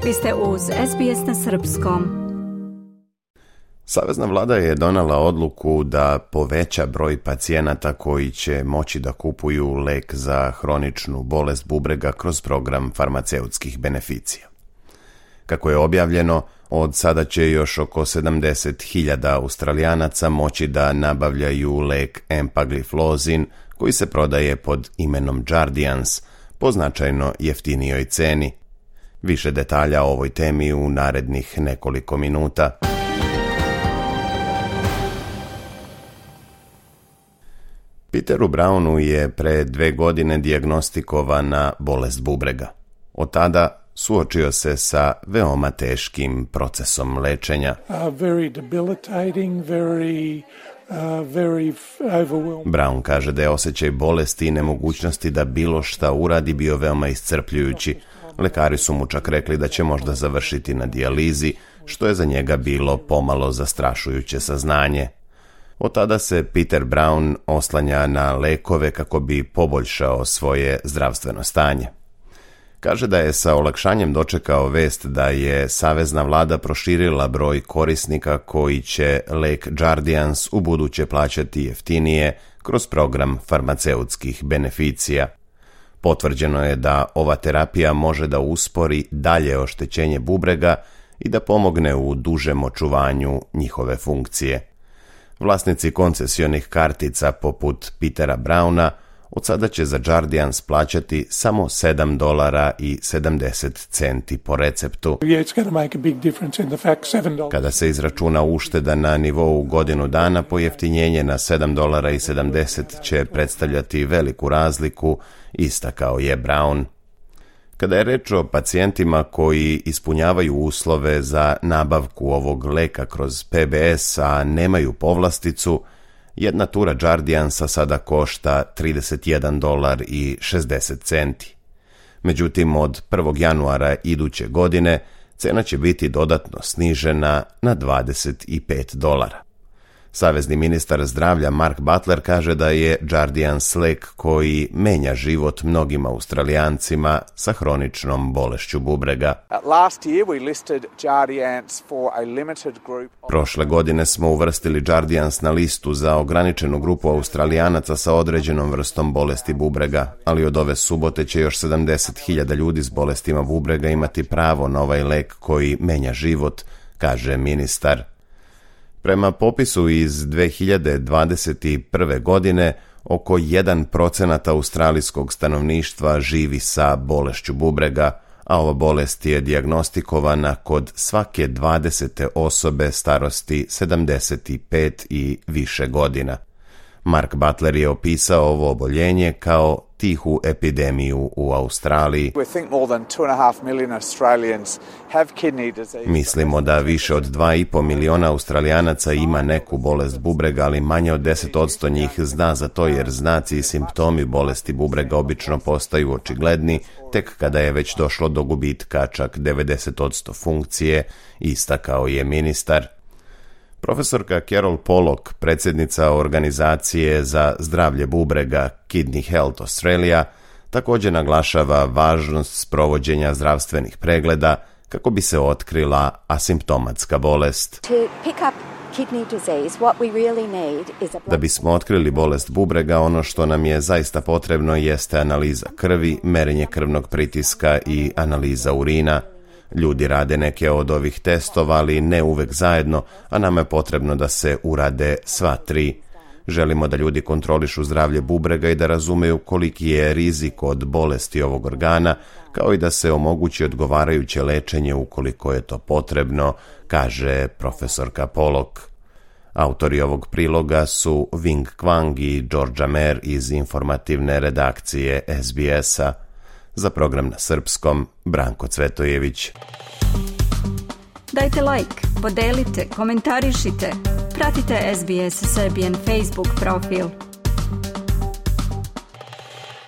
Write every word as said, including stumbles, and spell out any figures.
Vi ste uz S B S na srpskom. Savezna vlada je donela odluku da poveća broj pacijenata koji će moći da kupuju lek za hroničnu bolest bubrega kroz program farmaceutskih beneficija. Kako je objavljeno, od sada će još oko sedamdeset hiljada Australijanaca moći da nabavljaju lek empagliflozin koji se prodaje pod imenom Jardiance po značajno jeftinijoj ceni. Više detalja o ovoj temi u narednih nekoliko minuta. Peteru Brownu je pre dve godine dijagnostikovana bolest bubrega. Od tada suočio se sa veoma teškim procesom lečenja. Uh, very debilitating, very, uh, very overwhelming. Brown kaže da je osjećaj bolesti i nemogućnosti da bilo šta uradi bio veoma iscrpljujući. Lekari su mu čak rekli da će možda završiti na dijalizi, što je za njega bilo pomalo zastrašujuće saznanje. Od tada se Peter Brown oslanja na lekove kako bi poboljšao svoje zdravstveno stanje. Kaže da je sa olakšanjem dočekao vest da je savezna vlada proširila broj korisnika koji će lek Jardiance ubuduće plaćati jeftinije kroz program farmaceutskih beneficija. Potvrđeno je da ova terapija može da uspori dalje oštećenje bubrega i da pomogne u dužem očuvanju njihove funkcije. Vlasnici koncesionih kartica poput Petera Browna od sada će za Jardiance plaćati samo sedam dolara i sedamdeset centi po receptu. Kada se izračuna ušteda na nivou godinu dana, pojeftinjenje na sedam dolara i sedamdeset će predstavljati veliku razliku, istakao je Brown. Kada je reč o pacijentima koji ispunjavaju uslove za nabavku ovog leka kroz P B S, a nemaju povlasticu, jedna tura Jardiansa sada košta trideset jedan dolar i šezdeset centi. Međutim, od prvog januara iduće godine cena će biti dodatno snižena na dvadeset pet dolara. Savezni ministar zdravlja Mark Butler kaže da je Jardiance lek koji menja život mnogim Australijancima sa hroničnom bolešću bubrega. Prošle godine smo uvrstili Jardiance na listu za ograničenu grupu Australijanaca sa određenom vrstom bolesti bubrega, ali od ove subote će još sedamdeset hiljada ljudi s bolestima bubrega imati pravo na ovaj lek koji menja život, kaže ministar. Prema popisu iz dve hiljade dvadeset prve. godine, oko jedan procenat australijskog stanovništva živi sa bolešću bubrega, a ova bolest je dijagnostikovana kod svake dvadesete osobe starosti sedamdeset pet i više godina. Mark Butler je opisao ovo oboljenje kao tihu epidemiju u Australiji. Mislimo da više od dva i po miliona Australijanaca ima neku bolest bubrega, ali manje od deset posto njih zna za to jer znaci i simptomi bolesti bubrega obično postaju očigledni tek kada je već došlo do gubitka čak devedeset posto funkcije, istakao je ministar. Profesorka Carol Pollock, predsjednica organizacije za zdravlje bubrega Kidney Health Australia, također naglašava važnost sprovođenja zdravstvenih pregleda kako bi se otkrila asimptomatska bolest. Da bismo otkrili bolest bubrega, ono što nam je zaista potrebno jeste analiza krvi, merenje krvnog pritiska i analiza urina. Ljudi rade neke od ovih testova, ali ne uvek zajedno, a nama je potrebno da se urade sva tri. Želimo da ljudi kontrolišu zdravlje bubrega i da razumeju koliki je rizik od bolesti ovog organa, kao i da se omogući odgovarajuće lečenje ukoliko je to potrebno, kaže profesorka Pollock. Autori ovog priloga su Wing Kwang i Georgia Mer iz informativne redakcije S B S-a. Za program na srpskom, Branko Cvetojević. Dajte like, podelite, komentarišite, pratite S B S Serbian Facebook profil.